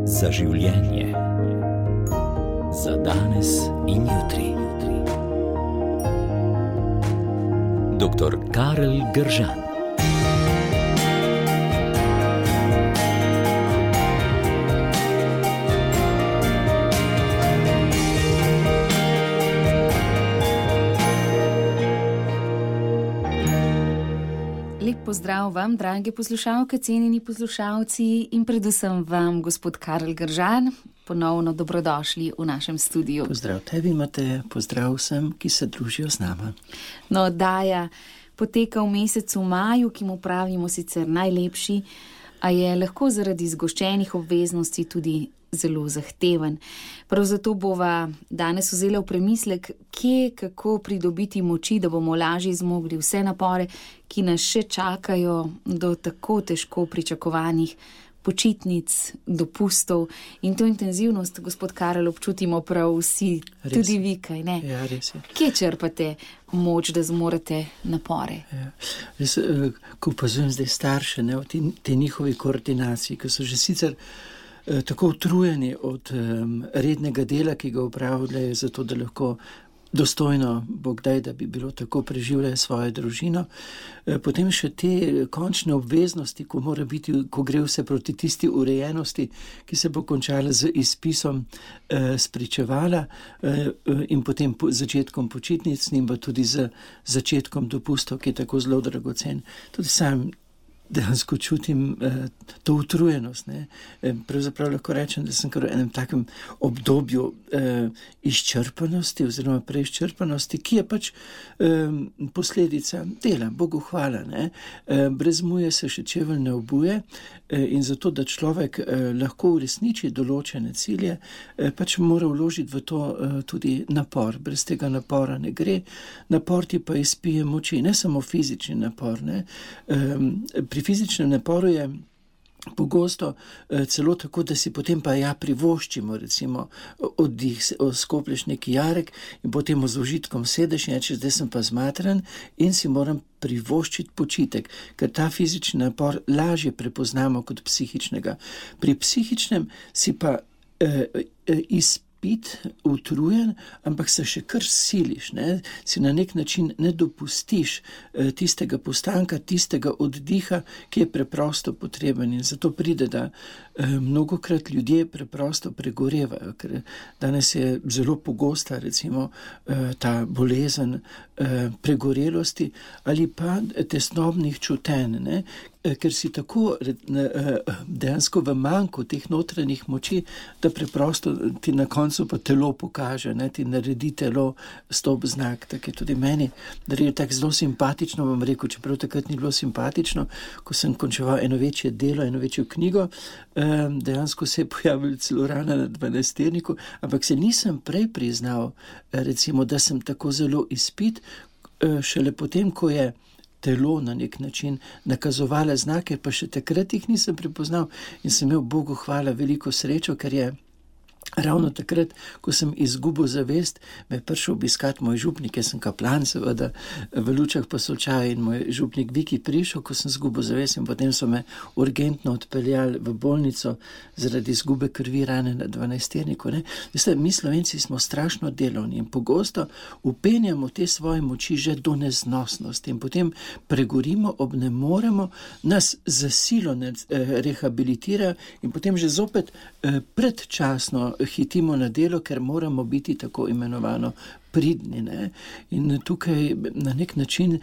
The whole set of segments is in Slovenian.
Za življenje. Za danes in jutri. Dr. Karel Gržan. Lep pozdrav vam, drage poslušalke, cenjeni poslušalci in predvsem vam, gospod Karel Gržan, ponovno dobrodošli v našem studiu. Pozdrav tebi, Mateja, pozdrav vsem, ki se družijo z nama. No, oddaja poteka v mesecu maju, ki mu pravimo sicer najlepši, a je lahko zaradi zgoščenih obveznosti tudi zelo zahteven. Prav zato bova danes vzela v premislek, kje, kako pridobiti moči, da bomo lažje zmogli vse napore, ki nas še čakajo do tako težko pričakovanih počitnic, dopustov. In to intenzivnost, gospod Karel, občutimo prav vsi, res. Tudi vi, kaj ne? Ja, res je. Kje črpate moč, da zmorete napore? Ja. Res, ko opazujem zdaj starše, ne, v tej njihovi koordinaciji, ki so že sicer tako utrujeni od rednega dela, ki ga opravljajo, zato da lahko dostojno, Bog daj, da bi bilo tako, preživljajo svojo družino. Potem še te končne obveznosti, ko mora biti, ko gre vse proti tisti urejenosti, ki se bo končala z izpisom spričevala in potem začetkom počitnic in pa tudi z začetkom dopustov, ki je tako zelo dragocen. Tudi sam dejansko čutim to utrujenost. Ne? Pravzaprav lahko rečem, da sem kar v enem takem obdobju izčrpanosti oziroma preizčrpanosti, ki je pač posledica dela, Bogu hvala. Ne? Brez muje se še čevelj ne obuje in zato, da človek lahko uresniči določene cilje, pač mora vložiti v to tudi napor. Brez tega napora ne gre. Napor ti pa izpije moči, ne samo fizični napor. Ne? Pri fizičnem naporu je pogosto celo tako, da si potem pa privoščimo, recimo oddih, skoplješ neki jarek in potem z užitkom sedeš in rečeš, zdaj sem pa zmatran in si moram privoščiti počitek, ker ta fizični napor lažje prepoznamo kot psihičnega. Pri psihičnem si pa utrujen, ampak se še kar siliš, ne? Si na nek način ne dopustiš tistega postanka, tistega oddiha, ki je preprosto potreben in zato pride, da mnogokrat ljudje preprosto pregorevajo, ker danes je zelo pogosta recimo ta bolezen pregorelosti ali pa tesnobnih čutenj, ne? Ker si tako dejansko v manku teh notranjih moči, da preprosto ti na koncu pa telo pokaže, ne, ti naredi telo stop znak. Tako je tudi meni, da je tako zelo simpatično, vam rekel, čeprav takrat ni bilo simpatično, ko sem končeval eno večje delo, eno večjo knjigo, dejansko se je pojavila celo rana na 12-terniku, ampak se nisem prej priznal, recimo, da sem tako zelo izpit, šele potem, ko je telo na nek način nakazovala znake, pa še takrat jih nisem prepoznal in sem imel Bogu hvala veliko srečo, ker je ravno takrat, ko sem izgubil zavest, me je prišel obiskati moj župnik, jaz sem kaplan, seveda v Lučah Posočaji, in moj župnik Viki prišel, ko sem izgubil zavest in potem so me urgentno odpeljali v bolnico zaradi izgube krvi rane na 12-terniku. Veste, mi Slovenci smo strašno delovni in pogosto upenjamo te svoje moči že do neznosnosti in potem pregorimo, obnemoremo, nas za silo rehabilitirajo in potem že zopet predčasno hitimo na delo, ker moramo biti tako imenovano pridni. Ne? In tukaj na nek način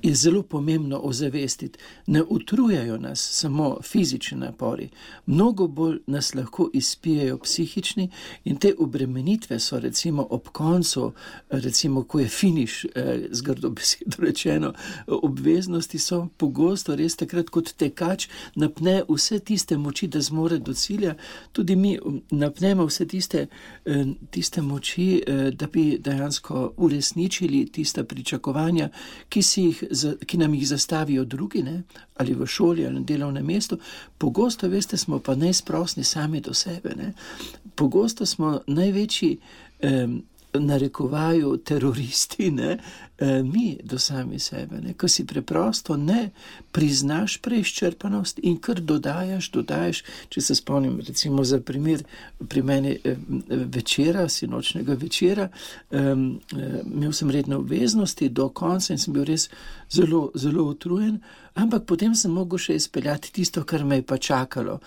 je zelo pomembno ozavestiti. Ne utrujajo nas samo fizični napori, mnogo bolj nas lahko izpijejo psihični in te obremenitve so recimo ob koncu, recimo ko je finiš, z grdo besedo rečeno, obveznosti so pogosto res takrat kot tekač napne vse tiste moči, da zmore do cilja, tudi mi napnemo vse tiste moči, da bi dejansko uresničili tista pričakovanja, ki nam jih zastavijo drugi, ne? Ali v šoli ali na delovnem mestu. Pogosto, veste, smo pa neizprosni sami do sebe. Ne? Pogosto smo največji narekovaju teroristi, ne? mi do sami sebe, ne? Ko si preprosto ne priznaš preizčrpanost in kar dodajaš, če se spomnim recimo za primer pri meni večera, sinočnega večera, imel sem redne obveznosti do konca in sem bil res zelo, zelo utrujen, ampak potem sem mogel še izpeljati tisto, kar me je pa čakalo,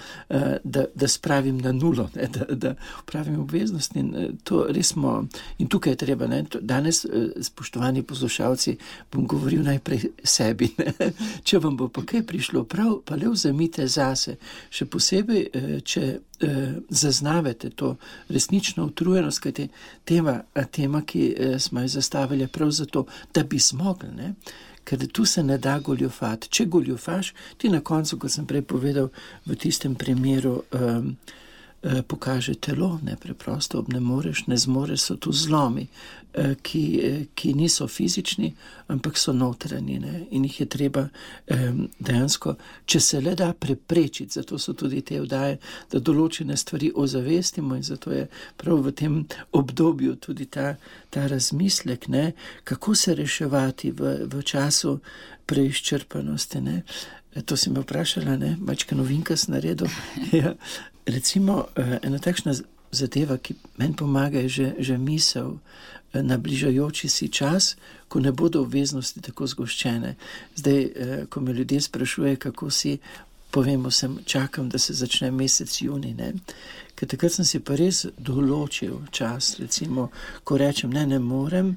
da spravim na nulo, ne, da upravim obveznosti in to res smo, in tukaj je treba, ne, danes, spoštovani poslušalci, bom govoril najprej sebi, ne, če vam bo pa kaj prišlo prav, pa le vzemite zase, še posebej, če zaznavate to resnično utrujenost, kajti tema, ki smo jo zastavili prav zato, da bi zmogli, ne. Ker tu se ne da goljufati. Če goljufaš, ti na koncu, kot sem prej povedal, v tistem primeru pokaže telo, ne, preprosto ne zmoreš, so tu zlomi, ki niso fizični, ampak so notranji, ne, in jih je treba dejansko, če se le da preprečiti, zato so tudi te vdaje, da določene stvari ozavestimo in zato je prav v tem obdobju tudi ta razmislek, ne, kako se reševati v času preizčrpanosti, ne. To si me vprašala, ne, mačka novinka sem naredil. Ja. Recimo, ena takšna zadeva, ki meni pomaga, je že misel na bližajoči si čas, ko ne bodo obveznosti tako zgoščene. Zdaj, ko me ljudje sprašujejo, kako si, povem vsem, čakam, da se začne mesec junij, ne. Ker takrat sem si pa res določil čas, recimo, ko rečem, ne morem,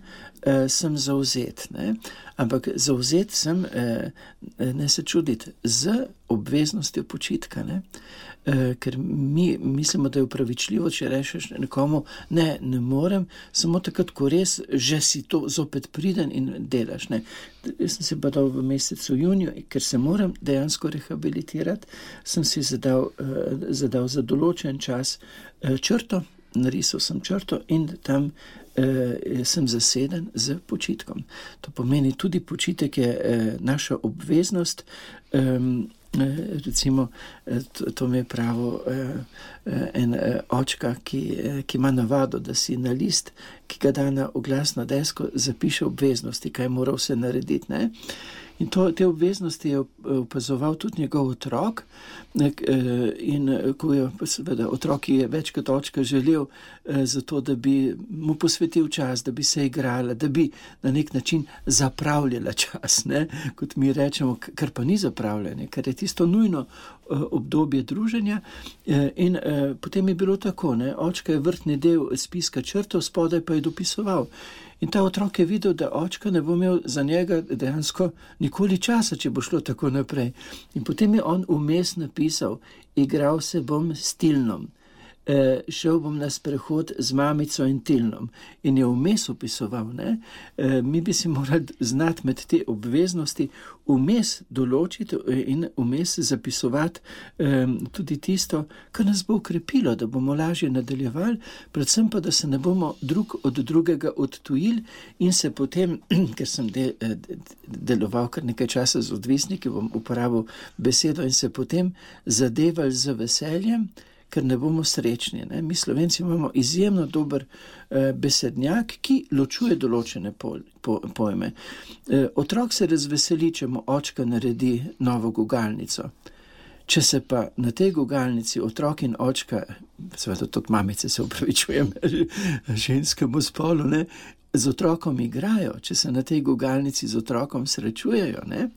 sem zavzet, ne. Ampak zavzet sem, ne se čuditi, z obveznostjo počitka, ne. Ker mi mislimo, da je upravičljivo, če rečeš nekomu, ne morem, samo takrat, ko res že si to zopet priden in delaš, ne. Jaz sem se pa dal v mesecu juniju, ker se moram dejansko rehabilitirati, sem si zadal za določen čas črto, narisal sem črto in tam sem zaseden z počitkom. To pomeni tudi počitek je naša obveznost, recimo, to mi je pravo en očka, ki ima navado, da si na list, ki ga da na oglasno desko, zapiše obveznosti, kaj mora vse narediti, ne. In te obveznosti je opazoval tudi njegov otrok, in ko je seveda otrok je več kot očka želel zato, da bi mu posvetil čas, da bi se igrala, da bi na nek način zapravljala čas, ne, kot mi rečemo, kar pa ni zapravljanje, ker je tisto nujno obdobje druženja, in potem je bilo tako, ne, očka je vrtni del spiska črtov, spodaj pa je dopisoval. In ta otrok je videl, da očka ne bo imel za njega dejansko nikoli časa, če bo šlo tako naprej. In potem je on vmes napisal, igral se bom s Tilnom, šel bom na sprehod z mamico in Tilnom. In je vmes opisoval, ne. Mi bi si morali znati med te obveznosti vmes določiti in vmes zapisovati tudi tisto, kar nas bo ukrepilo, da bomo lažje nadaljevali, predvsem pa, da se ne bomo drug od drugega odtujili in se potem, ker sem deloval kar nekaj časa z odvisniki, bom uporabil besedo, in se potem zadevali z veseljem, ker ne bomo srečni, ne. Mi Slovenci imamo izjemno dober besednjak, ki ločuje določene pojme. Otrok se razveseli, če mu očka naredi novo gugalnico. Če se pa na tej gugalnici otrok in očka, seveda tudi mamice, se upravičujem ženskemu spolu, ne, z otrokom igrajo, če se na tej gugalnici z otrokom srečujejo, ne,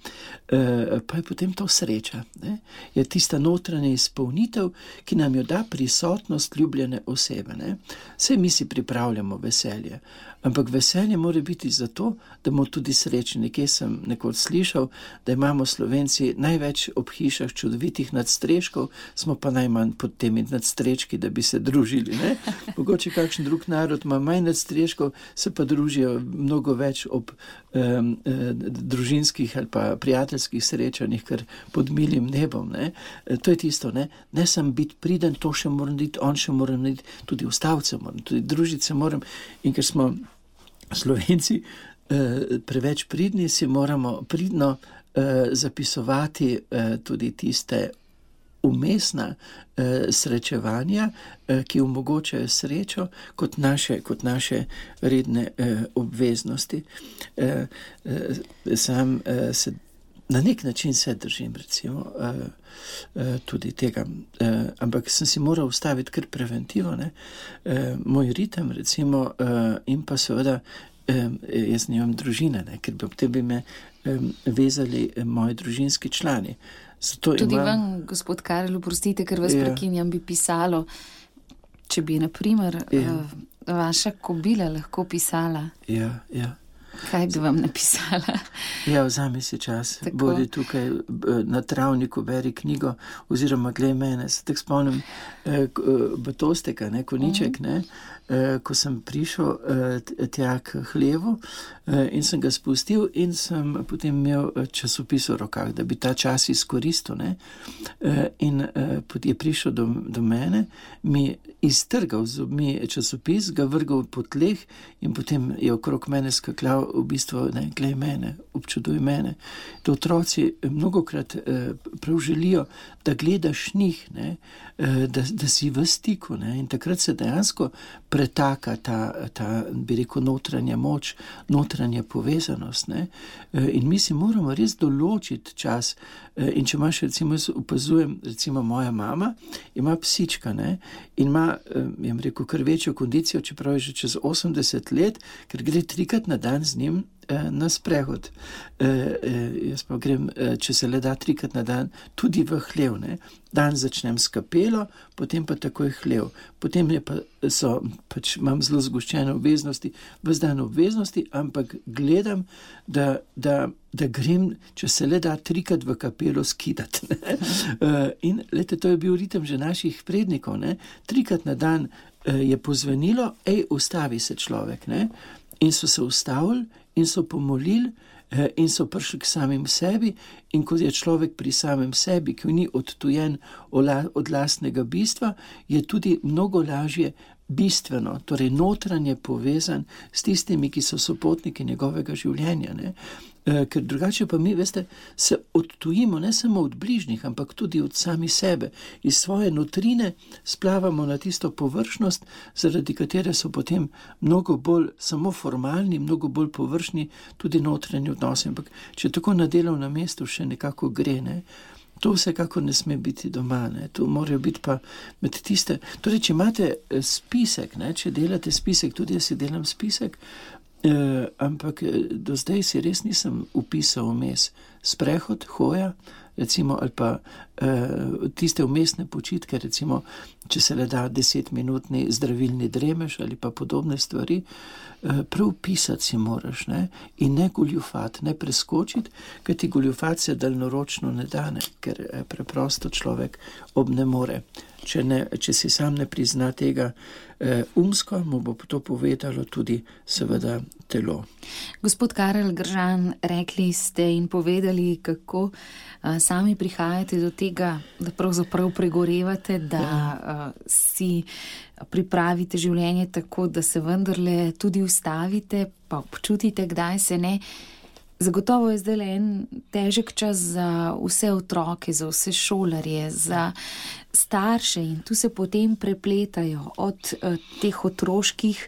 pa je potem to sreča, ne. Je tista notranja izpolnitev, ki nam jo da prisotnost ljubljene osebe, ne. Saj mi si pripravljamo veselje, ampak veselje mora biti zato, da bomo tudi srečni. Nekje sem nekoč slišal, da imamo Slovenci največ ob hišah čudovitih nadstreškov, smo pa najmanj pod temi nadstreški, da bi se družili, ne. Mogoče kakšen drug narod ima manj nadstreškov, se pa družijo mnogo več ob družinskih ali pa prijateljskih srečanjih, kar pod milim nebom, ne. To je tisto, ne. Ne sem biti priden, to še moram narediti, on še moram narediti, tudi ustavce moram, tudi družiti se moram, in ker smo Slovenci preveč pridni, si moramo pridno zapisovati tudi tiste umestna srečevanja, ki omogočajo srečo kot naše redne obveznosti. Sam se na nek način se držim, recimo, tudi tega, ampak sem si moral ustaviti kar preventivo, ne? Moj ritem, recimo, in pa seveda jaz nimam družine, ne? Ker bi me vezali moji družinski člani. Zato tudi vam, gospod Karel, oprostite, ker vas prekinjam, bi pisalo, če bi, na primer, vaša kobila lahko pisala. Ja. Kaj bi vam napisala? Ja, vzami si čas, bodi tukaj na travniku, beri knjigo, oziroma glej mene. Se tako spomnim Batosteka, Koniček, ko sem prišel tja k hlevu in sem ga spustil in sem potem imel časopis v rokah, da bi ta čas izkoristil. In je prišel do mene, mi iztrgal z zobmi časopis, ga vrgal po tleh in potem je okrog mene skakljal v bistvu, glej mene, občuduj mene. To otroci mnogokrat prav želijo, da gledaš njih, da si v stiku, in takrat se dejansko pretaka ta bi rekel, notranja moč, notranja povezanost. In mi si moramo res določiti čas. In če imaš, recimo, jaz opazujem, recimo moja mama ima psička, in ima, jam rekel, kar večjo kondicijo, čeprav je že čez 80 let, ker gre 3-krat na dan z njim na sprehod. Jaz pa grem, če se le da 3-krat na dan, tudi v hlev. Dan začnem s kapelo, potem pa takoj hlev. Potem imam zelo zgoščene obveznosti, ves dan obveznosti, ampak gledam, da grem, če se le da 3-krat v kapelo skidati. In lete, to je bil ritem že naših prednikov. 3-krat na dan je pozvenilo, ustavi se človek. In so se ustavili in so pomolili in so prišli k samim sebi, in ko je človek pri samem sebi, ki ni odtujen od lastnega bistva, je tudi mnogo lažje bistveno, torej notranje povezan s tistimi, ki so sopotniki njegovega življenja. Ker drugače pa mi, veste, se odtujimo ne samo od bližnjih, ampak tudi od sami sebe. Iz svoje notrine splavamo na tisto površnost, zaradi katere so potem mnogo bolj samo formalni, mnogo bolj površni tudi notranji odnosi. Ampak če tako na delovnem mestu še nekako gre, to vsekako ne sme biti doma. To morajo biti pa med tiste. Torej, če imate spisek, če delate spisek, tudi jaz si delam spisek, ampak do zdaj si res nisem upisal vmes sprehod, hoja, recimo, ali pa tiste vmesne počitke, recimo, če se le da 10-minutni zdravilni dremež ali pa podobne stvari, prav pisati si moraš, in ne goljufati, ne preskočiti, ker ti goljufati se daljnoročno ne dane, ker preprosto človek ne more. Če si sam ne prizna tega umsko, mu bo to povedalo tudi seveda telo. Gospod Karel Gržan, rekli ste in povedali, kako sami prihajate do tega, da pravzaprav pregorevate, da si pripravite življenje tako, da se vendarle tudi ustavite, pa občutite, kdaj se ne. Zagotovo je zdaj en težek čas za vse otroke, za vse šolarje, za starše, in tu se potem prepletajo od teh otroških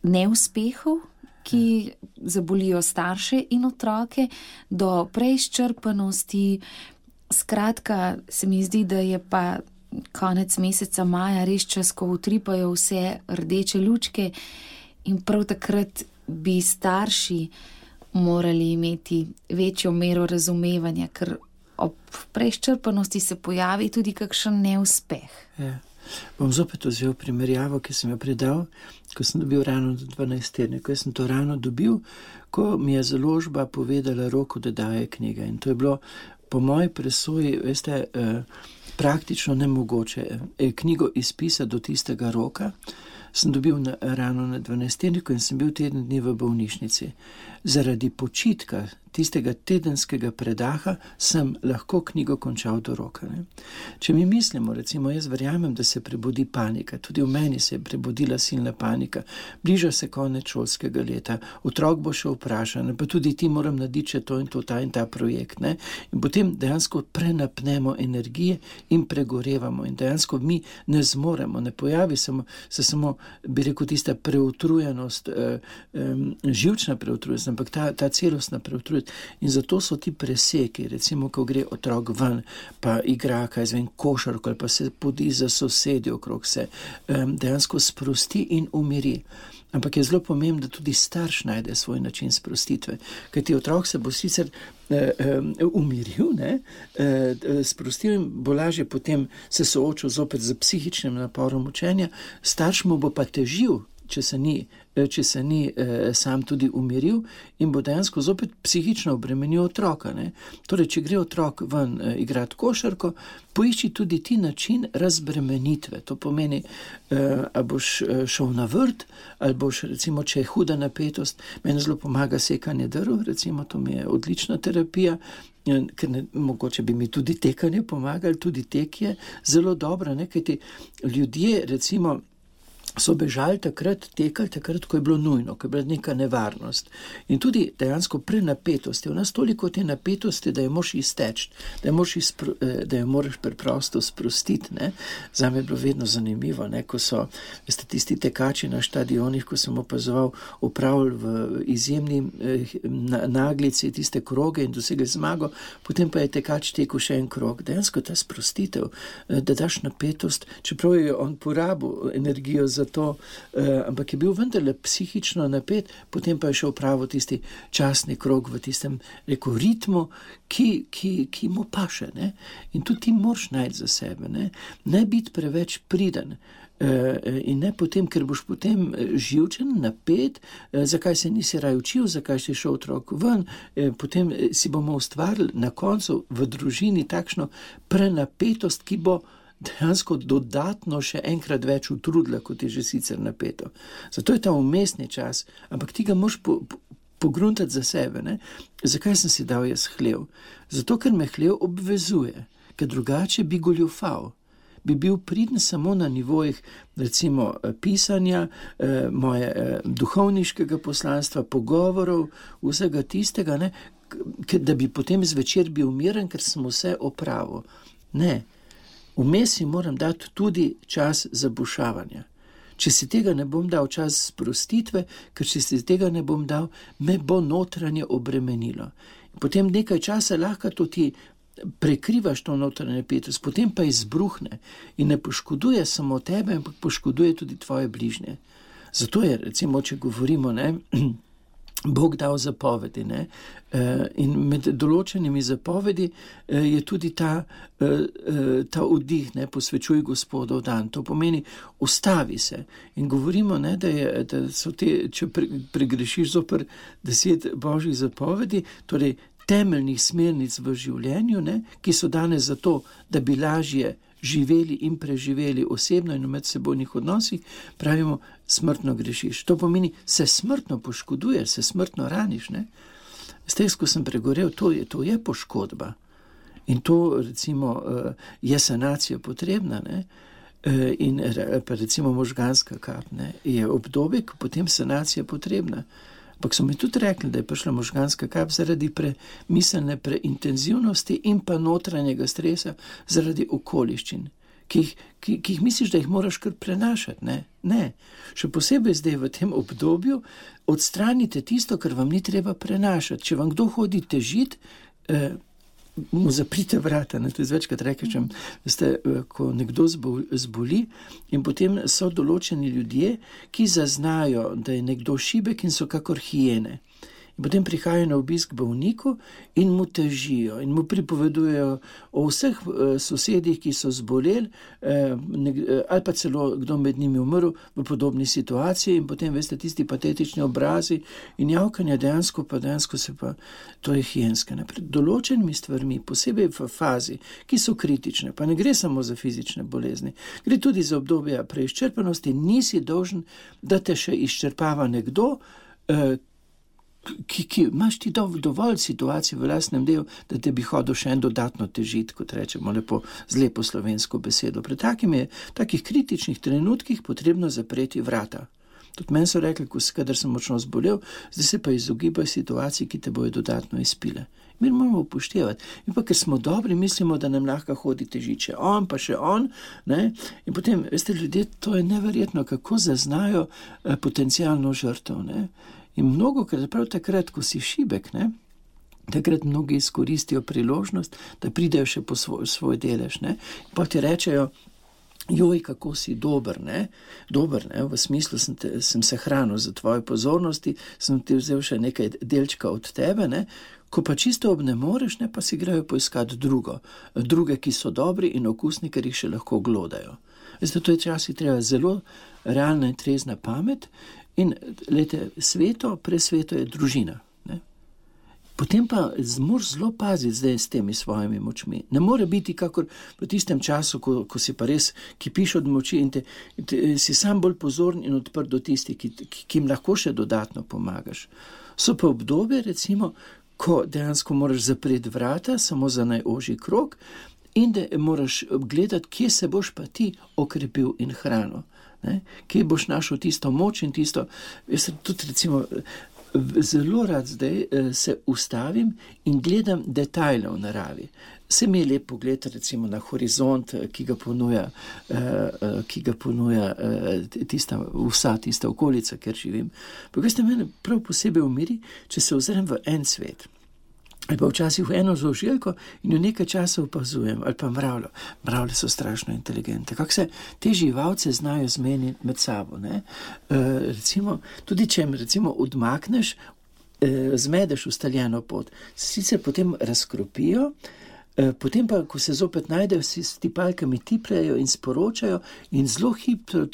neuspehov, ki zabolijo starše in otroke, do preizčrpanosti. Skratka, se mi zdi, da je pa konec meseca maja res čas, ko utripajo vse rdeče lučke, in prav takrat bi starši morali imeti večjo mero razumevanja, ker ob preizčrpanosti se pojavi tudi kakšen neuspeh. Ja. Bom zopet vzel primerjavo, ki sem jo predal, ko sem dobil rano do 12 tedne. Ko sem to rano dobil, ko mi je založba povedala rok, da daje knjige. In to je bilo po moji presoji, veste, praktično nemogoče knjigo izpisati do tistega roka, sem dobil rano na 12. in sem bil teden dni v bolnišnici. Zaradi počitka tistega tedenskega predaha sem lahko knjigo končal do roka. Ne. Če mi mislimo, recimo, jaz verjamem, da se prebudi panika, tudi v meni se je prebudila silna panika, bliža se konec šolskega leta, otrok bo še vprašan, pa tudi ti moram narediti še to in to, ta in ta projekt. Ne. In potem dejansko prenapnemo energije in pregorevamo in dejansko mi ne zmoremo, ne pojavi se samo, bi rekel, tista preutrujenost, živčna preutrujenost, ampak ta celostna preutrujenost. In zato so ti preseki, recimo, ko gre otrok ven, pa igra, košarko, ali pa se podi za sosedi okrog se, dejansko sprosti in umiri. Ampak je zelo pomembno, da tudi starš najde svoj način sprostitve, ker ti otrok se bo sicer umiril, sprostil in bo lažje potem se soočil zopet z psihičnim naporom učenja, starš mu bo pa težil, če se ni sam tudi umiril in bo dejansko zopet psihično obremenil otroka. Ne? Torej, če gre otrok ven igrati košarko, poišči tudi ti način razbremenitve. To pomeni, a boš šel na vrt, ali boš, recimo, če je huda napetost, meni zelo pomaga sekanje drv, recimo, to mi je odlična terapija, ker mogoče bi mi tudi tekanje pomagali, tudi tek je zelo dobro, kajti ljudje, recimo, so bežali tekali takrat, ko je bilo nujno, ko je bila neka nevarnost. In tudi dejansko prenapetost je v nas toliko te napetosti, da jo moraš izteči, da jo moraš preprosto sprostiti. Ne? Zame je bilo vedno zanimivo, ko so tisti tekači na štadionih, ko sem opazoval, opravili v izjemni naglici tiste kroge in dosegli zmago, potem pa je tekač tekel še en krog. Dejansko ta sprostitev, da daš napetost, čeprav je on porabil energijo za to, ampak je bil vendarle psihično napet, potem pa je šel pravo tisti časni krog v tistem, ritmu, ki mu paše. Ne? In tudi ti moraš najti za sebe. Ne biti preveč priden. In ne potem, ker boš potem živčen, napet, zakaj se nisi raj učil, zakaj si šel otrok ven, potem si bomo ustvarili na koncu v družini takšno prenapetost, ki bo dejansko dodatno še enkrat več utrudila, kot je že sicer napeto. Zato je ta umestni čas, ampak ti ga moraš pogruntati za sebe. Ne? Zakaj sem si dal jaz hlev? Zato, ker me hlev obvezuje, ker drugače bi goljufal. Bi bil priden samo na nivojih, recimo, pisanja, moje duhovniškega poslanstva, pogovorov, vsega tistega, da bi potem zvečer bil miren, ker sem vse opravil. Ne. Vmes si moram dati tudi čas za bušavanje. Če si tega ne bom dal, čas sprostitve, ker če si tega ne bom dal, me bo notranje obremenilo. Potem nekaj časa lahko to ti prekrivaš to notranje napetost, potem pa izbruhne in ne poškoduje samo tebe, ampak poškoduje tudi tvoje bližnje. Zato je, recimo, če govorimo, Bog dal zapovedi, in med določenimi zapovedi je tudi ta oddih, posvečuj Gospodov dan. To pomeni, ustavi se. In govorimo, da so te, če pregrešiš zoper 10 božjih zapovedi, torej temeljnih smernic v življenju, ki so danes zato, da bi lažje živeli in preživeli osebno in v medsebojnih odnosih, pravimo, smrtno grešiš. To pomeni, se smrtno poškoduješ, se smrtno raniš. Ko sem pregorel, to je poškodba. In to, recimo, je sanacija potrebna. In pa recimo možganska kap, je obdobje, ko potem sanacija potrebna. Ampak so mi tudi rekli, da je prišla možganska kap zaradi miselne preintenzivnosti in pa notranjega stresa zaradi okoliščin, ki jih misliš, da jih moraš kar prenašati. Ne. Še posebej zdaj v tem obdobju odstranite tisto, kar vam ni treba prenašati. Če vam kdo hodi težiti, mu zaprite vrata. To je večkrat rečem, ko nekdo zboli in potem so določeni ljudje, ki zaznajo, da je nekdo šibek in so kakor hijene. In potem prihajajo na obisk bolniku in mu težijo in mu pripovedujejo o vseh sosedih, ki so zboleli, ali pa celo kdo med njimi umrl v podobni situaciji in potem, veste, tisti patetični obrazi in javkanje dejansko se pa, to je hijenska. Pred določenimi stvarmi, posebej v fazi, ki so kritične, pa ne gre samo za fizične bolezni, gre tudi za obdobje preizčrpanosti, nisi dolžen, da te še izčrpava nekdo, ki imaš ti dovolj situacij v lastnem delu, da te bi hodil še en dodatno težiti, kot rečemo lepo, z lepo slovensko besedo. Pri takih kritičnih trenutkih potrebno zapreti vrata. Tudi meni so rekli, kadar sem močno zbolel, zdaj se pa izogibaj situacij, ki te bojo dodatno izpile. Mi moramo upoštevati. In pa, ker smo dobri, mislimo, da nam lahko hodi težiče on, pa še on, ne? In potem, veste, ljudje, to je neverjetno, kako zaznajo potencialno žrtev, ne? In mnogokrat, prav takrat, ko si šibek, ne? Takrat mnogi izkoristijo priložnost, da pridejo še po svoj delež, ne? In pa ti rečejo, joj, kako si dober, ne? Dober, ne? V smislu sem se hranil za tvoje pozornosti, sem ti vzel še nekaj delčka od tebe, ne? Ko pa čisto obnemoreš, ne, pa si grejo poiskati druge, ki so dobri in okusni, ker jih še lahko glodajo. Veste, to je časi treba zelo realna in trezna pamet in, lejte, presveto je družina. Ne. Potem pa moraš zelo paziti zdaj s temi svojimi močmi. Ne more biti kakor v tistem času, ko si pa res kipiš od moči in si sam bolj pozoren in odprt do tistih, ki jim lahko še dodatno pomagaš. So pa obdobje, recimo, ko dejansko moraš zapreti vrata samo za najožji krog in da moraš gledati, kje se boš pa ti okrepil in hranil. Ne? Kje boš našel tisto moč in tisto, jaz tudi recimo zelo rad zdaj se ustavim in gledam detajle v naravi. Se mi je lepo gledati recimo na horizont, ki ga ponuja vsa tista okolica, kjer živim. Pa veste, mene prav posebej umiri, če se ozrem v en svet. Ali pa včasih v eno zožilko in v nekaj časa opazujem, ali pa mravljo. Mravlje so strašno inteligente. Kako se te živalce znajo zmeniti med sabo, ne? Recimo, tudi če jim recimo odmakneš, zmedeš ustaljeno pot, sicer potem razkropijo, potem pa, ko se zopet najdejo, si s tipalkami tipljajo in sporočajo in zelo hitro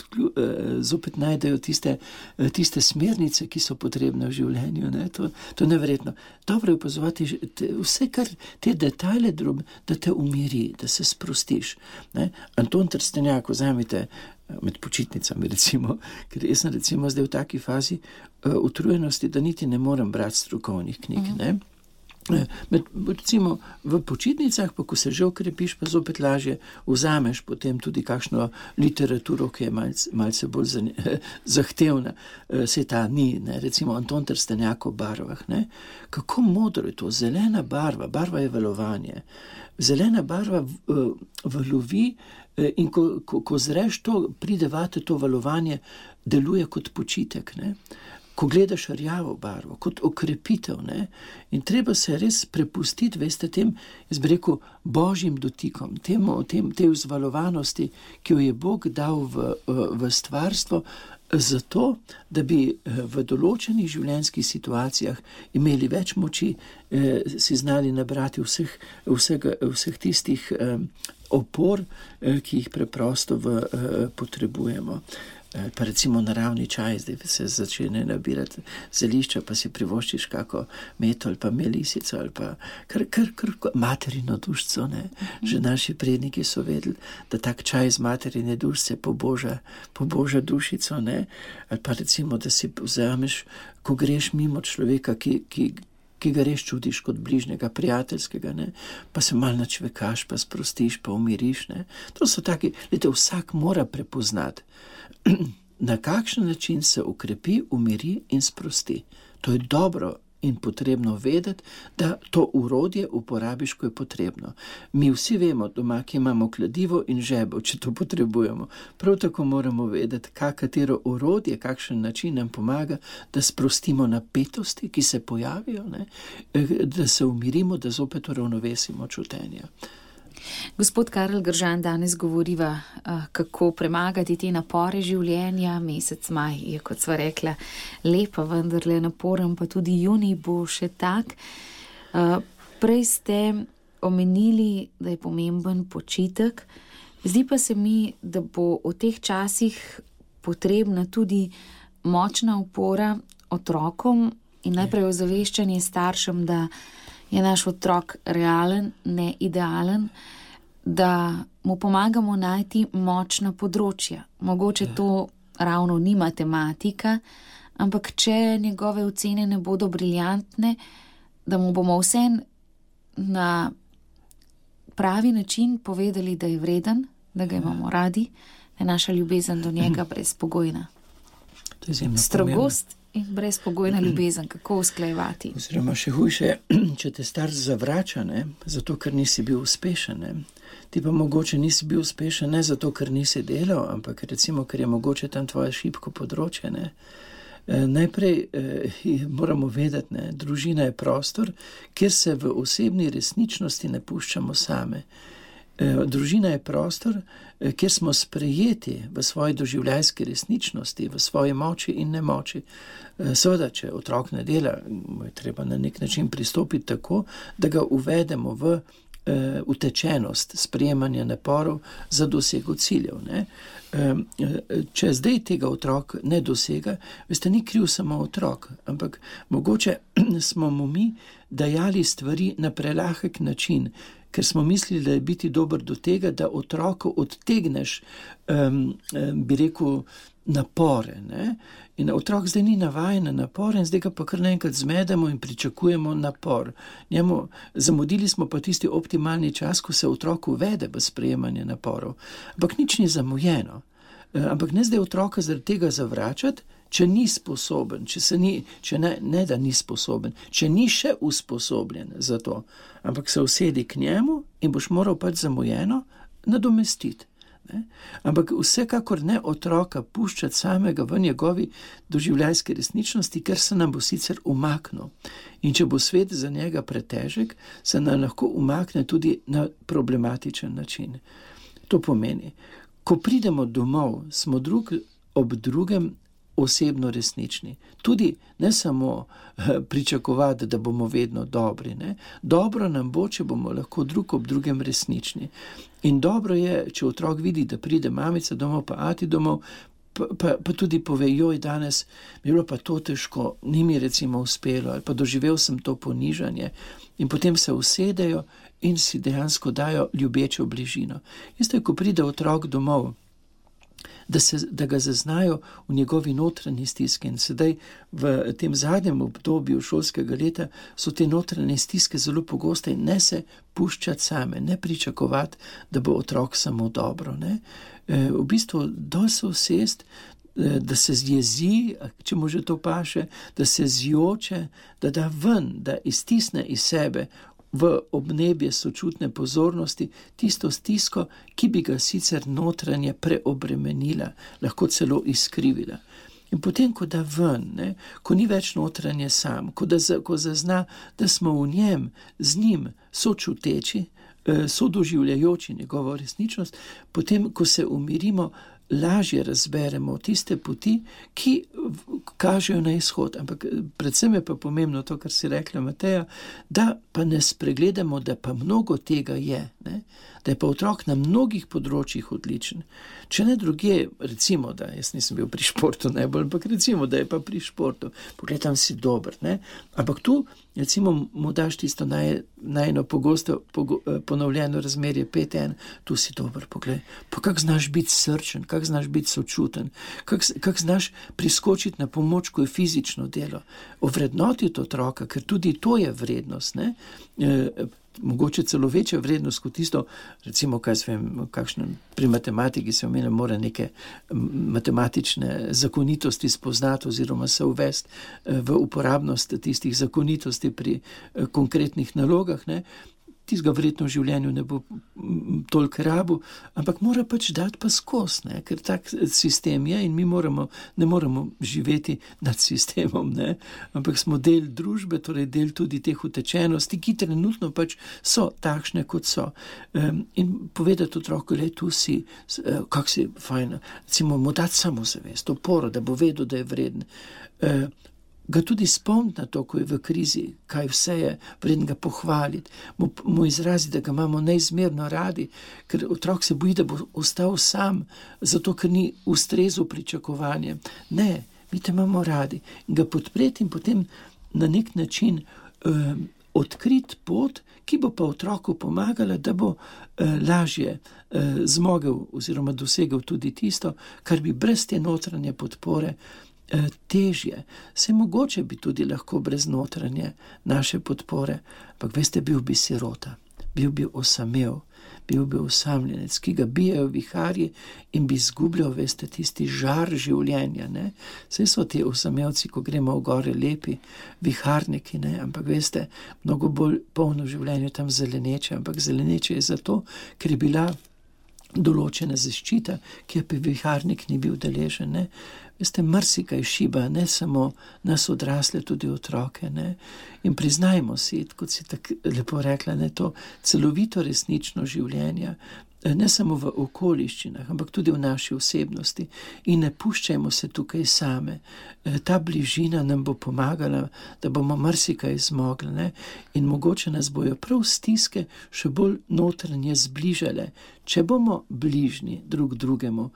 zopet najdejo tiste smernice, ki so potrebne v življenju. Ne? To je neverjetno. Dobro je opazovati vse, kar te detajle da te umiri, da se sprostiš. Ne? Anton Trstenjak, vzamite med počitnicami, recimo, ker jaz sem recimo zdaj v taki fazi utrujenosti, da niti ne morem brati strokovnih knjig, ne? Recimo v počitnicah, pa ko se že okrepiš, pa zopet lažje vzameš potem tudi kakšno literaturo, ki je malce bolj zahtevna. Se ta ni, ne? Recimo Anton Trstenjak o barvah. Ne? Kako modro je to, zelena barva je valovanje. Zelena barva valovi in ko zreš to, pride vate to valovanje, deluje kot počitek, ne? Ko gledaš rjavo barvo, kot okrepitev, ne? In treba se res prepustiti, veste, tem, jaz bi rekel, božjim dotikom, tej vzvalovanosti, ki jo je Bog dal v stvarstvo, zato, da bi v določenih življenjskih situacijah imeli več moči, si znali nabrati vseh tistih opor, ki jih preprosto potrebujemo. Pa recimo naravni čaj, zdaj se začne nabirati zelišča, pa si privoščiš kako meto ali pa melisico ali pa kar materino dušico, ne. Že naši predniki so vedeli, da tak čaj z materine dušice poboža dušico, ne. Ali pa recimo, da si vzameš, ko greš mimo človeka, ki ga res čutiš kot bližnjega, prijateljskega, ne, pa se malo načvekaš, pa sprostiš, pa umiriš, ne. To so taki, vsak mora prepoznati, na kakšen način se ukrepi, umiri in sprosti. To je dobro in potrebno vedeti, da to urodje uporabiš, ko je potrebno. Mi vsi vemo doma, ki imamo kladivo in žebel, če to potrebujemo. Prav tako moramo vedeti, katero urodje, kakšen način nam pomaga, da sprostimo napetosti, ki se pojavijo, ne? Da se umirimo, da zopet uravnovesimo čutenja. Gospod Karel Gržan, danes govoriva, kako premagati te napore življenja. Mesec maj je, kot sva rekla, lepa, vendarle naporen, pa tudi junij bo še tak. Prej ste omenili, da je pomemben počitek. Zdi pa se mi, da bo v teh časih potrebna tudi močna opora otrokom in najprej ozaveščanje staršem, da je naš otrok realen, ne idealen, da mu pomagamo najti močna področja. Mogoče to ravno ni matematika, ampak če njegove ocene ne bodo briljantne, da mu bomo vsem na pravi način povedali, da je vreden, da ga imamo radi, da je naša ljubezen do njega brezpogojna. Strogost in brezpogojna ljubezen, kako usklajevati? Oziroma še hujše, če te starš zavrača, ne, zato ker nisi bil uspešen, ne. Ti pa mogoče nisi bil uspešen ne zato, ker nisi delal, ampak recimo, ker je mogoče tam tvoje šibko področje, ne. Najprej moramo vedeti, ne, družina je prostor, kjer se v osebni resničnosti ne puščamo same. Družina je prostor, kjer smo sprejeti v svoji doživljajski resničnosti, v svoji moči in nemoči. Seveda, če otrok ne dela, je treba na nek način pristopiti tako, da ga uvedemo v utečenost sprejemanja naporov za dosego ciljev. Ne? Če zdaj tega otrok ne dosega, veste, ni kriv samo otrok, ampak mogoče smo mu mi dajali stvari na prelahek način, ker smo mislili, da je biti dober do tega, da otroku odtegneš, bi rekel, napore. Ne? In otrok zdaj ni navajen na napore in zdaj ga pa kar naenkrat zmedemo in pričakujemo napor. Zamudili smo pa tisti optimalni čas, ko se otrok uvede v sprejemanje naporov. Ampak nič ni zamujeno. Ampak ne zdaj otroka zaradi tega zavračati, če ni sposoben, če ne da ni sposoben, če ni še usposobljen za to, ampak se usedi k njemu in boš moral pač zamujeno nadomestiti. Ne? Ampak vsekakor ne otroka puščati samega v njegovi doživljajski resničnosti, ker se nam bo sicer umaknil. In če bo svet za njega pretežek, se nam lahko umakne tudi na problematičen način. To pomeni, ko pridemo domov, smo drug ob drugem osebno resnični. Tudi ne samo pričakovati, da bomo vedno dobri. Ne? Dobro nam bo, če bomo lahko drug ob drugem resnični. In dobro je, če otrok vidi, da pride mamica domov, pa ati domov, pa tudi pove, joj, danes mi je bilo pa to težko, ni mi recimo uspelo, ali pa doživel sem to ponižanje. In potem se usedejo in si dejansko dajo ljubečo bližino. Isto je, ko pride otrok domov, da ga zaznajo v njegovi notranji stiski. In sedaj v tem zadnjem obdobju šolskega leta so te notranje stiske zelo pogoste in ne se puščati same, ne pričakovati, da bo otrok samo dobro. Ne? V bistvu dol se usest, da se zjezi, če mu že to paše, da se zjoče, da da ven, da iztisne iz sebe v obnebje sočutne pozornosti tisto stisko, ki bi ga sicer notranje preobremenila, lahko celo izkrivila. In potem, ko da ven, ne, ko ni več notranje sam, ko zazna, da smo v njem, z njim sočuteči, sodoživljajoči njegovo resničnost, potem, ko se umirimo, lažje razberemo tiste poti, ki kažejo na izhod. Ampak predvsem je pa pomembno to, kar si rekla Mateja, da pa ne spregledamo, da pa mnogo tega je, ne? Da je pa otrok na mnogih področjih odličen. Če ne druge, recimo, da jaz nisem bil pri športu najbolj, ampak recimo, da je pa pri športu, pogled, tam si dober, ne? Ampak tu, recimo, mu daš tisto najno pogosto ponovljeno razmerje 5:1, tu si dober, pogled, pa kak znaš biti srčen, kak znaš biti sočuten, kak znaš priskočiti na pomoč, ko je fizično delo. Ovrednotiti otroka, ker tudi to je vrednost, ne? Mogoče celo večja vrednost kot tisto, recimo, pri matematiki se omenja, mora neke matematične zakonitosti spoznati oziroma se uvesti v uporabnost tistih zakonitosti pri konkretnih nalogah, ne? tistega verjetno v življenju ne bo toliko rabu, ampak mora pač dati pa skozi, ne, ker tak sistem je in mi ne moremo živeti nad sistemom, ne, ampak smo del družbe, torej del tudi teh utečenosti, ki trenutno pač so takšne, kot so. In povedati otroku, le tu si, kak si fajn, recimo mu dati samozavest, oporo, da bo vedel, da je vreden. Ga tudi spomniti na to, ko je v krizi, kaj vse je vreden ga pohvaliti, mu izraziti, da ga imamo neizmerno radi, ker otrok se boji, da bo ostal sam, zato ker ni ustrezal pričakovanjem. Ne, mi te imamo radi. In ga podpreti in potem na nek način odkriti pot, ki bo pa otroku pomagala, da bo lažje zmogel oziroma dosegel tudi tisto, kar bi brez te notranje podpore težje. Se mogoče bi tudi lahko brez notranje naše podpore, ampak veste, bil bi sirota, bil bi osamel, bil bi osamljenec, ki ga bijajo viharji in bi izgubljal, veste, tisti žar življenja, ne. Saj so ti osamelci, ko gremo v gore, lepi viharniki, ne, ampak veste, mnogo bolj polno življenje tam zeleneče, ampak zeleneče je zato, ker je bila določena zaščita, ki je pa viharnik ni bil deležen, ne. Veste, marsikaj šiba, ne samo nas odrasle, tudi otroke, ne. In priznajmo si, kot si tako lepo rekla, ne, to celovito resnično življenje, ne samo v okoliščinah, ampak tudi v naši osebnosti. In ne puščajmo se tukaj same. Ta bližina nam bo pomagala, da bomo marsikaj zmogli, ne. In mogoče nas bojo prav stiske še bolj notranje zbližale, če bomo bližni drug drugemu,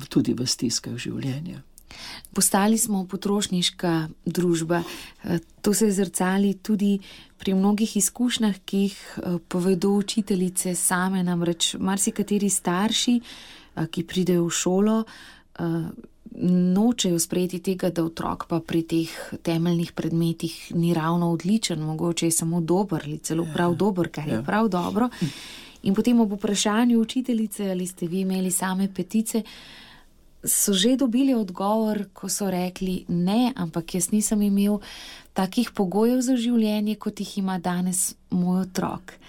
tudi v stiskah življenja. Postali smo potrošniška družba. To se zrcali tudi pri mnogih izkušnjah, ki jih povedo učiteljice same, namreč marsikateri starši, ki pridejo v šolo, nočejo sprejeti tega, da otrok pa pri teh temeljnih predmetih ni ravno odličen, mogoče je samo dober ali celo prav dober, kar je prav dobro. In potem ob vprašanju učiteljice, ali ste vi imeli same petice, so že dobili odgovor, ko so rekli ne, ampak jaz nisem imel takih pogojev za življenje, kot jih ima danes moj otrok.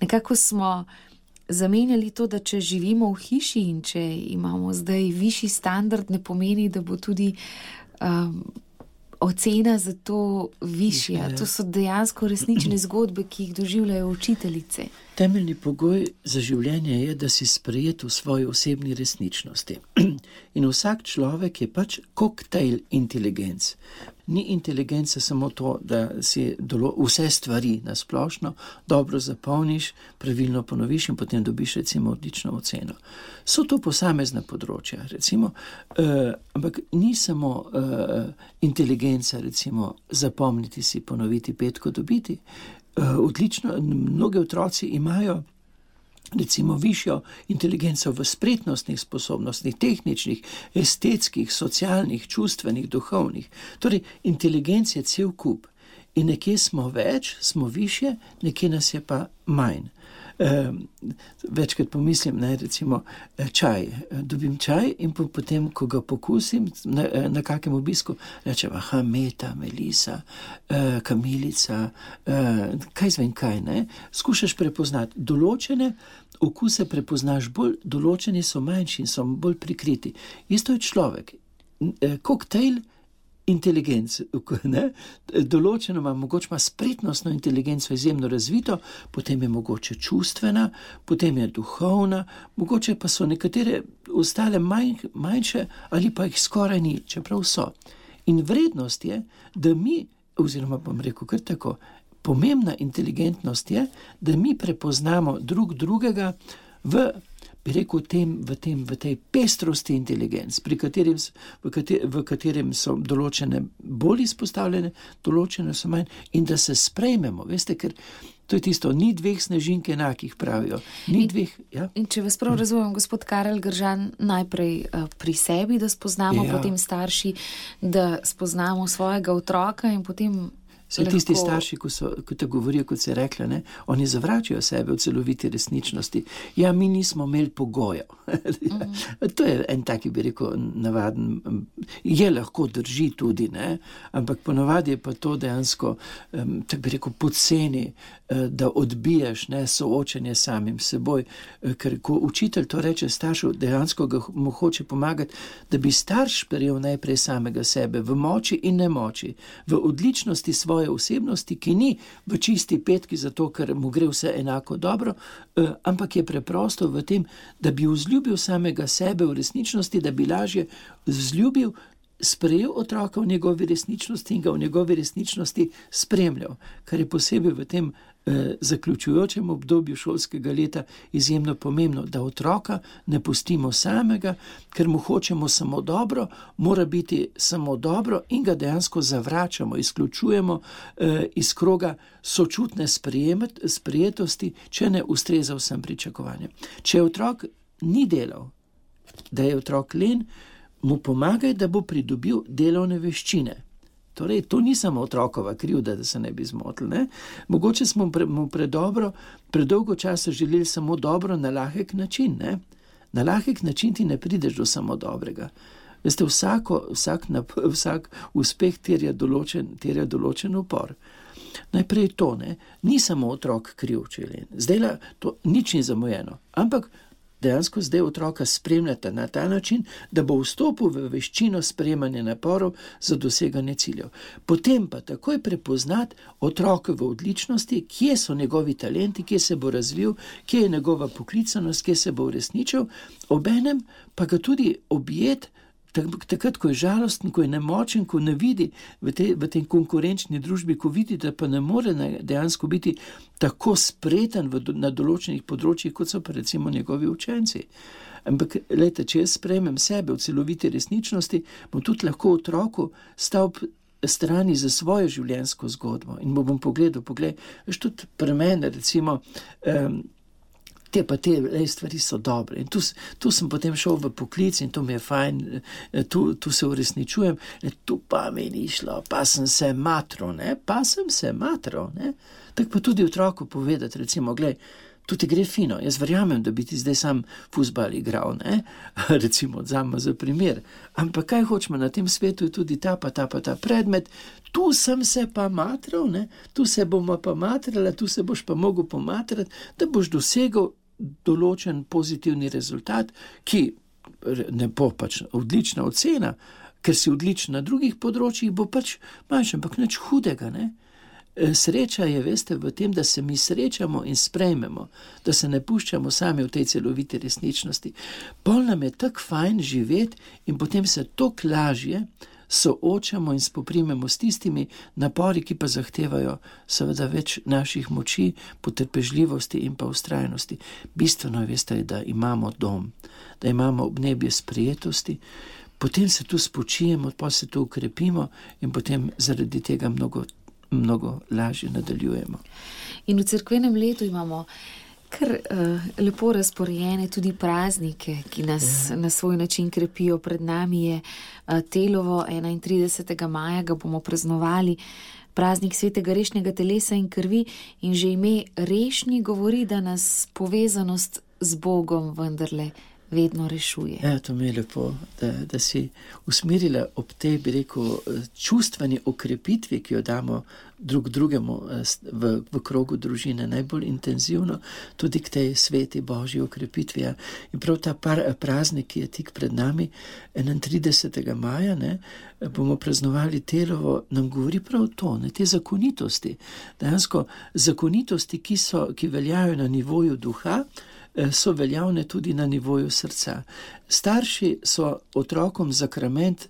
Nekako smo zamenjali to, da če živimo v hiši in če imamo zdaj višji standard, ne pomeni, da bo tudi ocena za to višja. To so dejansko resnične zgodbe, ki jih doživljajo učiteljice. Temeljni pogoj za življenje je, da si sprejet v svoji osebni resničnosti. In vsak človek je pač koktejl inteligenc. Ni inteligenca samo to, da si vse stvari na splošno dobro zapolniš, pravilno ponoviš in potem dobiš recimo odlično oceno. So to posamezna področja, recimo, ampak ni samo inteligenca, recimo, zapomniti si, ponoviti, petko dobiti. Odlično, mnogi otroci imajo recimo višjo inteligenco v spretnostnih sposobnostih, tehničnih, estetskih, socialnih, čustvenih, duhovnih. Torej, inteligenc je cel kup. In nekje smo več, smo višje, nekje nas je pa manj. Večkrat pomislim, ne, recimo čaj. Dobim čaj in potem, ko ga pokusim na kakem obisku, rečem, aha, meta, melisa, kamilica, kaj zvem kaj, ne. Skušaš prepoznati. Določene okuse prepoznaš bolj, določeni so manjši in so bolj prikriti. Isto je človek. Koktejl inteligenc, ne? Določeno ima, mogoče ima spretnostno inteligenco izjemno razvito, potem je mogoče čustvena, potem je duhovna, mogoče pa so nekatere ostale manjše ali pa jih skoraj ni, čeprav so. In vrednost je, da mi, oziroma bom rekel kar tako, pomembna inteligentnost je, da mi prepoznamo drug drugega v tej pestrosti inteligenc, v katerem so določene bolj izpostavljene, določene so manj, in da se sprejmemo, veste, ker to je tisto, ni dveh snežink enakih, pravijo. In če vas prav razumem, gospod Karel Gržan, najprej pri sebi, da spoznamo, potem starši, da spoznamo svojega otroka in potem Tisti starši, ko te govorijo, kot se je rekla, ne, oni zavračajo sebe v celoviti resničnosti. Ja, mi nismo imeli pogojev. To je en taki, bi rekel, navaden, je lahko drži tudi, ne, ampak ponavadi je pa to dejansko, tako bi rekel, poceni, da odbiješ, ne, soočenje samim seboj, ker ko učitelj to reče staršu, dejansko mu hoče pomagati, da bi starš prejel najprej samega sebe v moči in nemoči, v odličnosti svoje osebnosti, ki ni v čisti petki zato, ker mu gre vse enako dobro, ampak je preprosto v tem, da bi vzljubil samega sebe v resničnosti, da bi lažje vzljubil, sprejel otroka v njegovi resničnosti in ga v njegovi resničnosti spremljal, kar je posebej v tem zaključujočem obdobju šolskega leta izjemno pomembno, da otroka ne pustimo samega, ker mu hočemo samo dobro, mora biti samo dobro in ga dejansko zavračamo, izključujemo iz kroga sočutne sprejetosti, če ne ustreza vsem pričakovanjem. Če otrok ni delal, da je otrok len, mu pomagaj, da bo pridobil delovne veščine. Torej, to ni samo otrokova krivda, da se ne bi zmotili, ne? Mogoče smo mu predolgo časa želeli samo dobro na lahek način, ne? Na lahek način ti ne prideš do samo dobrega. Veste, vsak uspeh terja določen upor. Najprej to, ne? Ni samo otrok kriv, če je. Zdaj to nič ni zamujeno, ampak dejansko zdaj otroka spremljate na ta način, da bo vstopil v veščino sprejemanja naporov za doseganje ciljev. Potem pa takoj prepoznati otroke v odličnosti, kje so njegovi talenti, kje se bo razvil, kje je njegova poklicanost, kje se bo uresničil, obenem pa ga tudi objeti, takrat, ko je žalosten, ko je nemočen, ko ne vidi v tej konkurenčni družbi, ko vidi, da pa ne more dejansko biti tako spreten na določenih področjih, kot so pa recimo njegovi učenci. Ampak, glejte, če jaz sprejmem sebe v celoviti resničnosti, bom tudi lahko otroku stal strani za svojo življenjsko zgodbo in bom pogledal, veš, tudi pri meni, recimo, te stvari so dobre. In tu sem potem šel v poklic in to mi je fajn, tu se uresničujem, tu pa mi ni šlo, pa sem se matral, ne? Tako pa tudi otroku povedati, recimo, glej, tu ti gre fino, jaz verjamem, da bi ti zdaj sam fuzbal igral, ne? Recimo, odzame za primer. Ampak kaj hočemo na tem svetu, je tudi ta predmet, tu sem se pa matral, ne? Tu se bomo pa matrala, tu se boš pa mogel pomatrati, da boš dosegel določen pozitivni rezultat, ki ne bo pač odlična ocena, ker si odličen na drugih področjih, bo pač manjši, ampak nič hudega, ne? Sreča je, veste, v tem, da se mi srečamo in sprejmemo, da se ne puščamo sami v tej celoviti resničnosti. Pol nam je tako fajn živeti in potem se toliko lažje soočamo in spoprimemo s tistimi napori, ki pa zahtevajo seveda več naših moči, potrpežljivosti in pa vztrajnosti. Bistveno je, veste, da imamo dom, da imamo obnebje sprejetosti, potem se tu spočijemo, pa se tu ukrepimo in potem zaradi tega mnogo lažje nadaljujemo. In v cerkvenem letu imamo kar lepo razporejene tudi praznike, ki nas na svoj način krepijo. Pred nami je Telovo, 31. maja ga bomo praznovali, praznik svetega rešnjega telesa in krvi, in že ime rešni govori, da nas povezanost z Bogom vendarle vedno rešuje. Ja, to mi je lepo, da si usmerila ob tej, bi rekel, čustveni okrepitvi, ki jo damo drugemu v krogu družine, najbolj intenzivno, tudi k tej sveti Božji okrepitvi. In prav ta praznik, ki je tik pred nami, 31. maja, ne, bomo praznovali Telovo, nam govori prav to, ne, te zakonitosti. Dejansko zakonitosti, ki veljajo na nivoju duha, so veljavne tudi na nivoju srca. Starši so otrokom zakrament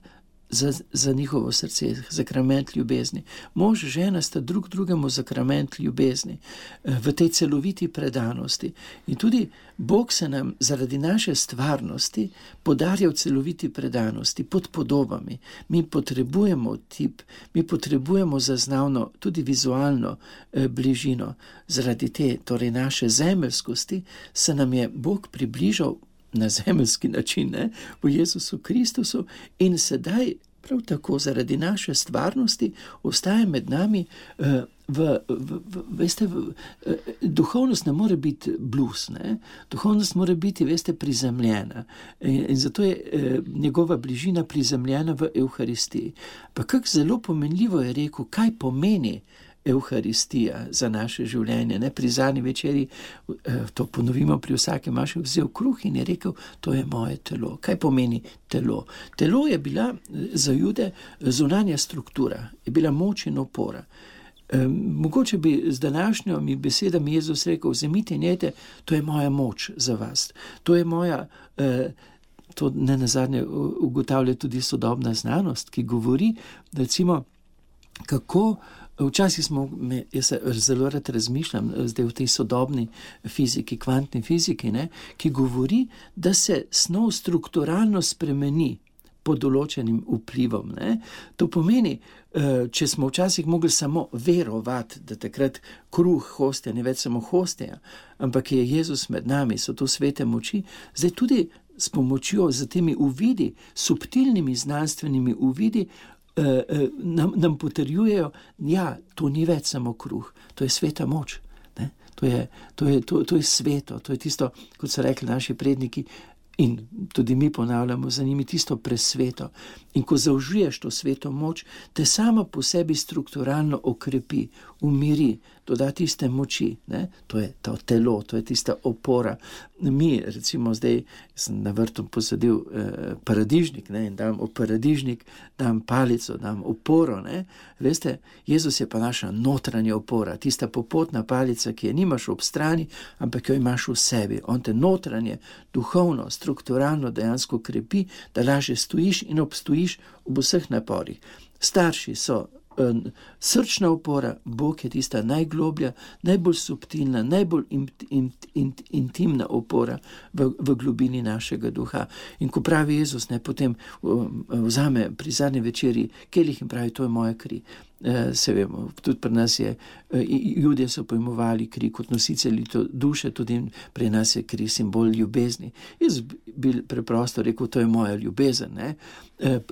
za njihovo srce, zakrament ljubezni. Mož, žena sta drugemu zakrament ljubezni v tej celoviti predanosti. In tudi Bog se nam zaradi naše stvarnosti podarja v celoviti predanosti, pod podobami. Mi potrebujemo mi potrebujemo zaznavno, tudi vizualno bližino. Zaradi te, torej naše zemeljskosti, se nam je Bog približal na zemeljski način, ne, v Jezusu Kristusu, in sedaj prav tako zaradi naše stvarnosti ostaja med nami. Veste, duhovnost ne more biti blues, ne? Duhovnost mora biti, veste, prizemljena in zato je njegova bližina prizemljena v Evharistiji. Pa kako zelo pomenljivo je rekel, kaj pomeni Evharistija za naše življenje. Ne? Pri zadnji večeri, to ponovimo pri vsakem maši, vzel kruh in je rekel, to je moje telo. Kaj pomeni telo? Telo je bila za Jude zunanja struktura, je bila moč in opora. Mogoče bi z današnjimi besedami Jezus rekel, vzemite in jejte, to je moja moč za vas. To je moja, to ne nazadnje ugotavlja tudi sodobna znanost, ki govori, recimo, kako včasih jaz zelo rad razmišljam zdaj v tej sodobni fiziki, kvantni fiziki, ne, ki govori, da se snov strukturalno spremeni pod določenim vplivom. Ne. To pomeni, če smo včasih mogli samo verovati, da takrat kruh hostja, ne več samo hostja, ampak je Jezus med nami, so to svete moči, zdaj tudi s pomočjo, z temi uvidi, subtilnimi znanstvenimi uvidi, nam potrjujejo, ja, to ni več samo kruh, to je sveta moč. Ne? To je sveto, to je tisto, kot so rekli naši predniki, in tudi mi ponavljamo za njimi, tisto presveto. In ko zaužiješ to sveto moč, te sama po sebi strukturalno okrepi, umiri, doda tiste moči. Ne? To je to telo, to je tista opora. Mi, recimo zdaj, sem na vrtu posadil paradižnik, ne? In dam v paradižnik, dam palico, dam oporo. Ne? Veste, Jezus je pa naša notranja opora, tista popotna palica, ki je nimaš ob strani, ampak jo imaš v sebi. On te notranje, duhovno, strukturalno dejansko krepi, da lažje stojiš in obstojiš v vseh naporih. Starši so srčna opora, Bog je tista najgloblja, najbolj subtilna, najbolj intimna opora v globini našega duha. In ko pravi Jezus, ne, potem vzame pri zadnji večeri kelih in pravi, to je moja kri. Se vemo, tudi pri nas je, Judje so pojmovali kri kot nositelji duše, tudi pri nas je kri simbol ljubezni. Jaz bi preprosto rekel, to je moja ljubezen. Ne?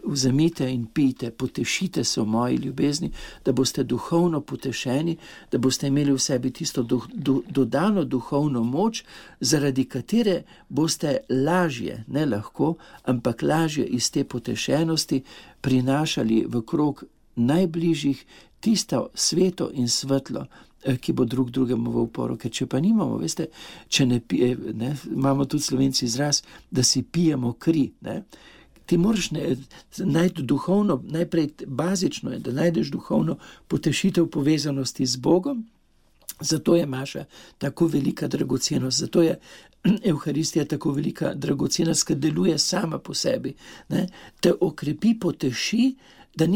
Vzemite in pijte, potešite se v moji ljubezni, da boste duhovno potešeni, da boste imeli v sebi tisto dodano duhovno moč, zaradi katere boste lažje, ne lahko, ampak lažje iz te potešenosti prinašali v krog najbližjih tisto sveto in svetlo, ki bo drug drugemu v uporo. Ker če pa nimamo, veste, če ne pije, ne, imamo tudi Slovenci izraz, da si pijemo kri, ne. Ti moraš najti duhovno, najprej bazično je, da najdeš duhovno potešitev povezanosti z Bogom, zato je Maša tako velika dragocenost, zato je Evharistija tako velika dragocenost, ker deluje sama po sebi, ne. Te okrepi, poteši, da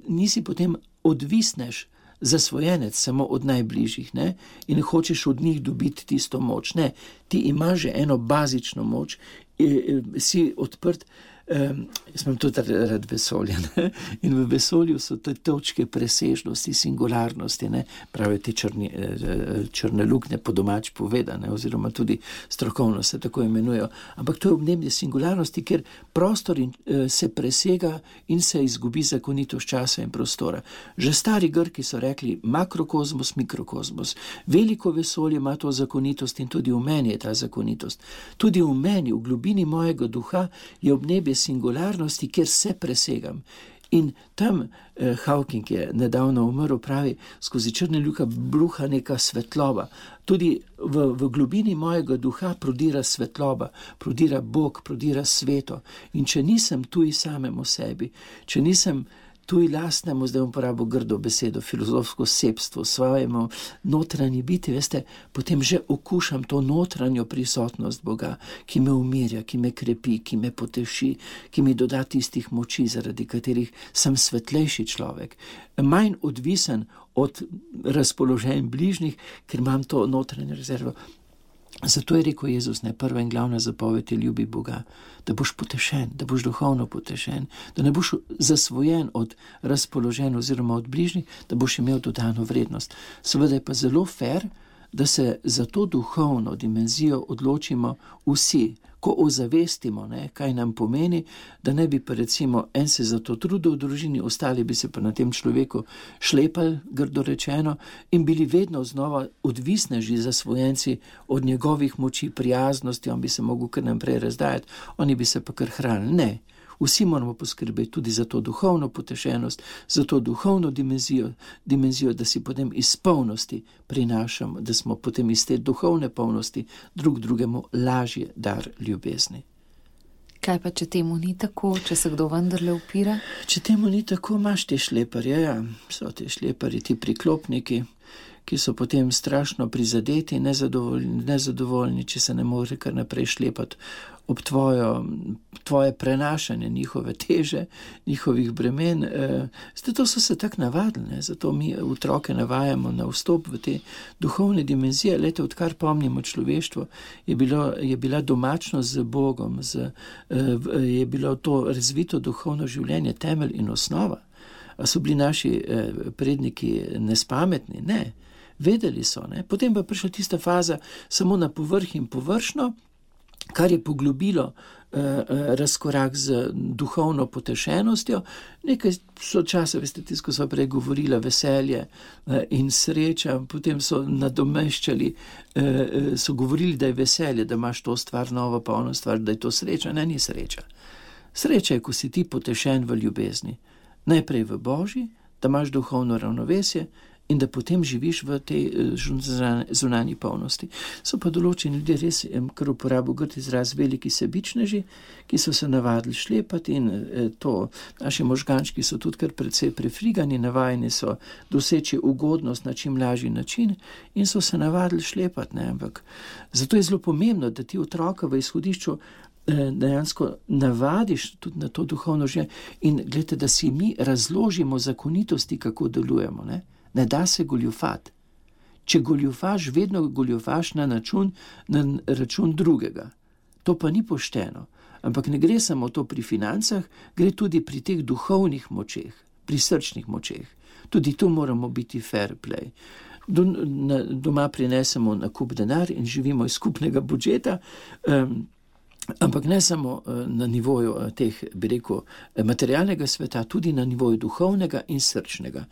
nisi potem odvisneš zasvojenec samo od najbližjih, ne? In hočeš od njih dobiti tisto moč. Ne, ti imaš že eno bazično moč, si odprt. Jaz imam tudi rad vesolje, ne? In v vesolju so te točke presežnosti, singularnosti, ne? Pravijo te črne luknje, po domač povedane, oziroma tudi strokovno se tako imenujejo. Ampak to je obnebje singularnosti, kjer prostor se presega in se izgubi zakonitost časa in prostora. Že stari Grki so rekli makrokozmos, mikrokozmos. Veliko vesolje ima to zakonitost in tudi v meni je ta zakonitost. Tudi v meni, v globini mojega duha je obnebje singularnosti, kjer se presegam. In tam Hawking je nedavno umrl, pravi, skozi črne luke bruha neka svetloba. Tudi v globini mojega duha prodira svetloba, prodira Bog, prodira sveto. In če nisem tuj samemu sebi, če nisem tuj lastnemu, zdaj bom porabil grdo besedo, filozofsko sebstvo, svojemu notranji biti, veste, potem že okušam to notranjo prisotnost Boga, ki me umirja, ki me krepi, ki me poteši, ki mi doda tistih moči, zaradi katerih sem svetlejši človek, manj odvisen od razpoloženj bližnjih, ker imam to notranje rezervo. Zato je rekel Jezus, ne, prva in glavna zapoved je ljubi Boga, da boš potešen, da boš duhovno potešen, da ne boš zasvojen od razpoloženj oziroma od bližnjih, da boš imel dodano vrednost. Seveda je pa zelo fair, da se za to duhovno dimenzijo odločimo vsi, lahko ozavestimo, ne, kaj nam pomeni, da ne bi pa recimo en se za to trudil v družini, ostali bi se pa na tem človeku šlepali, grdo rečeno, in bili vedno znova odvisneži zasvojenci od njegovih moči, prijaznosti, on bi se mogel kar naprej razdajati, oni bi se pa kar hranili. Ne. Vsi moramo poskrbeti tudi za to duhovno potešenost, za to duhovno dimenzijo, da si potem iz polnosti prinašamo, da smo potem iz te duhovne polnosti drug drugemu lažje dar ljubezni. Kaj pa, če temu ni tako, če se kdo vendarle upira? Če temu ni tako, imaš te šleparje, ja, so te šleparji, ti priklopniki, ki so potem strašno prizadeti, nezadovoljni, če se ne more kar naprej šlepati ob tvoje prenašanje njihove teže, njihovih bremen. Zato so se tako navadili, zato mi otroke navajamo na vstop v te duhovne dimenzije. Lete, odkar pomnimo človeštvo, je bila domačnost z Bogom, je bilo to razvito duhovno življenje temelj in osnova. A so bili naši predniki nespametni? Ne. Vedeli so, ne. Potem pa prišla tista faza samo na povrh in površno, kar je poglobilo razkorak z duhovno potešenostjo. Nekaj so časa, veste, tisto so prej govorila, veselje in sreča, potem so nadomeščali, so govorili, da je veselje, da imaš to stvar, novo pa ono stvar, da je to sreča. Ne, ni sreča. Sreča je, ko si ti potešen v ljubezni. Najprej v Božji, da imaš duhovno ravnovesje in da potem živiš v tej zunanji polnosti. So pa določeni ljudje res, kar uporabo grd izraz, veliki sebičneži, ki so se navadili šlepati in to, naši možgančki so tudi kar precej prefrigani, navajeni so doseči ugodnost na čim lažji način in so se navadili šlepati, ne, ampak zato je zelo pomembno, da ti otroka v izhodišču dejansko navadiš tudi na to duhovno življenje in gledajte, da si mi razložimo zakonitosti, kako delujemo, ne. Ne da se goljufati. Če goljufaš, vedno goljufaš na račun drugega. To pa ni pošteno. Ampak ne gre samo to pri financah, gre tudi pri teh duhovnih močeh, pri srčnih močeh. Tudi tu moramo biti fair play. Doma prinesemo nakup denar in živimo iz skupnega budžeta, ampak ne samo na nivoju teh, bi rekel, materialnega sveta, tudi na nivoju duhovnega in srčnega.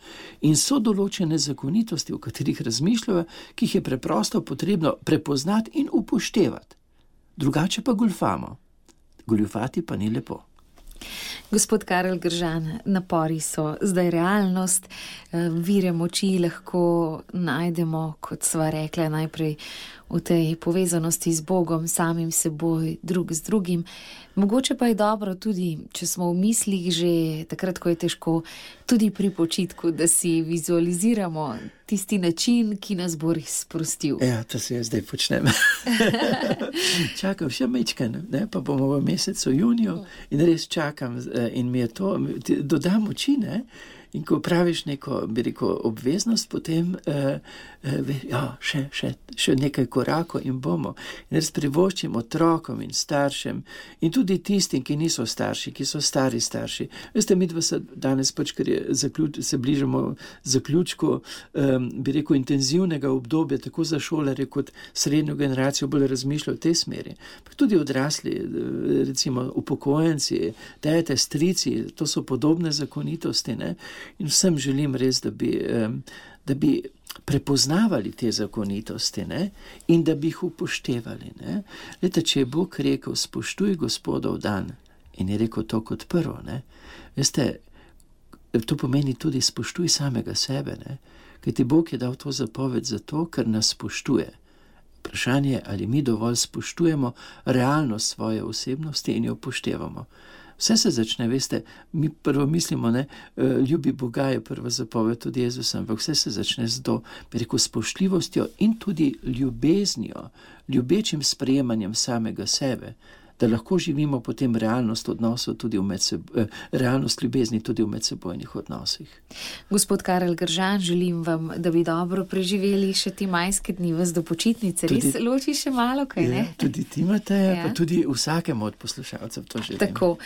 In so določene zakonitosti, o katerih razmišljajo, ki jih je preprosto potrebno prepoznati in upoštevati. Drugače pa goljufamo. Goljufati pa ni lepo. Gospod Karel Gržan, napori so zdaj realnost, vire moči lahko najdemo, kot sva rekla, najprej v tej povezanosti z Bogom, samim seboj, drug z drugim. Mogoče pa je dobro tudi, če smo v mislih že takrat, ko je težko, tudi pri počitku, da si vizualiziramo tisti način, ki nas bo res sprostil. Ja, to se jaz zdaj počnem. Čakam še mečken, ne, pa bomo v mesecu juniju in res čakam in mi je to, doda moči, ne. In ko praviš neko, bi rekel, obveznost, potem še nekaj korakov in bomo. In res privoščim otrokom in staršem in tudi tistim, ki niso starši, ki so stari starši. Veste, mi dva se danes pač, ker se bližamo zaključku, bi rekel, intenzivnega obdobja, tako za šolarje kot srednjo generacijo bolj razmišljajo v tej smeri. Pa tudi odrasli, recimo upokojenci, tete, strici, to so podobne zakonitosti, ne? In vsem želim res, da bi prepoznavali te zakonitosti, ne? In da bi jih upoštevali. Ne? Leta, če je Bog rekel, spoštuj Gospodov dan, in je rekel to kot prvo, ne? Veste, to pomeni tudi spoštuj samega sebe, ne? Kajti Bog je dal to zapoved zato, ker nas spoštuje. Vprašanje je, ali mi dovolj spoštujemo realnost svoje osebnosti in jo upoštevamo. Vse se začne, veste, mi prvo mislimo, ne, ljubi Boga je prva zapoved od Jezusa, ampak vse se začne z to, bi rekel, spoštljivostjo in tudi ljubeznijo, ljubečim sprejemanjem samega sebe, da lahko živimo potem realnost odnosov tudi realnost ljubezni tudi v medsebojnih odnosih. Gospod Karel Gržan, želim vam, da bi dobro preživeli še ti majske dni vas do počitnice. Res loči še malo, kaj ne? Tudi ti, Mateja, pa tudi vsakemu od poslušalcev to želim. Tako,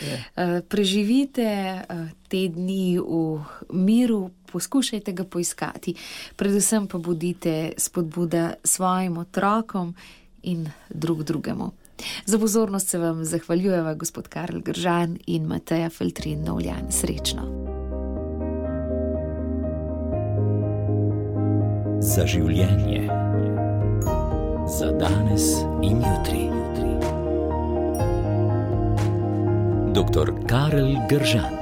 preživite te dni v miru, poskušajte ga poiskati. Predvsem pa bodite spodbuda svojim otrokom in drugemu. Za pozornost se vam zahvaljujeva gospod Karel Gržan in Mateja Feltrin Novljan. Srečno. Za življenje. Za danes in jutri. Dr. Karel Gržan.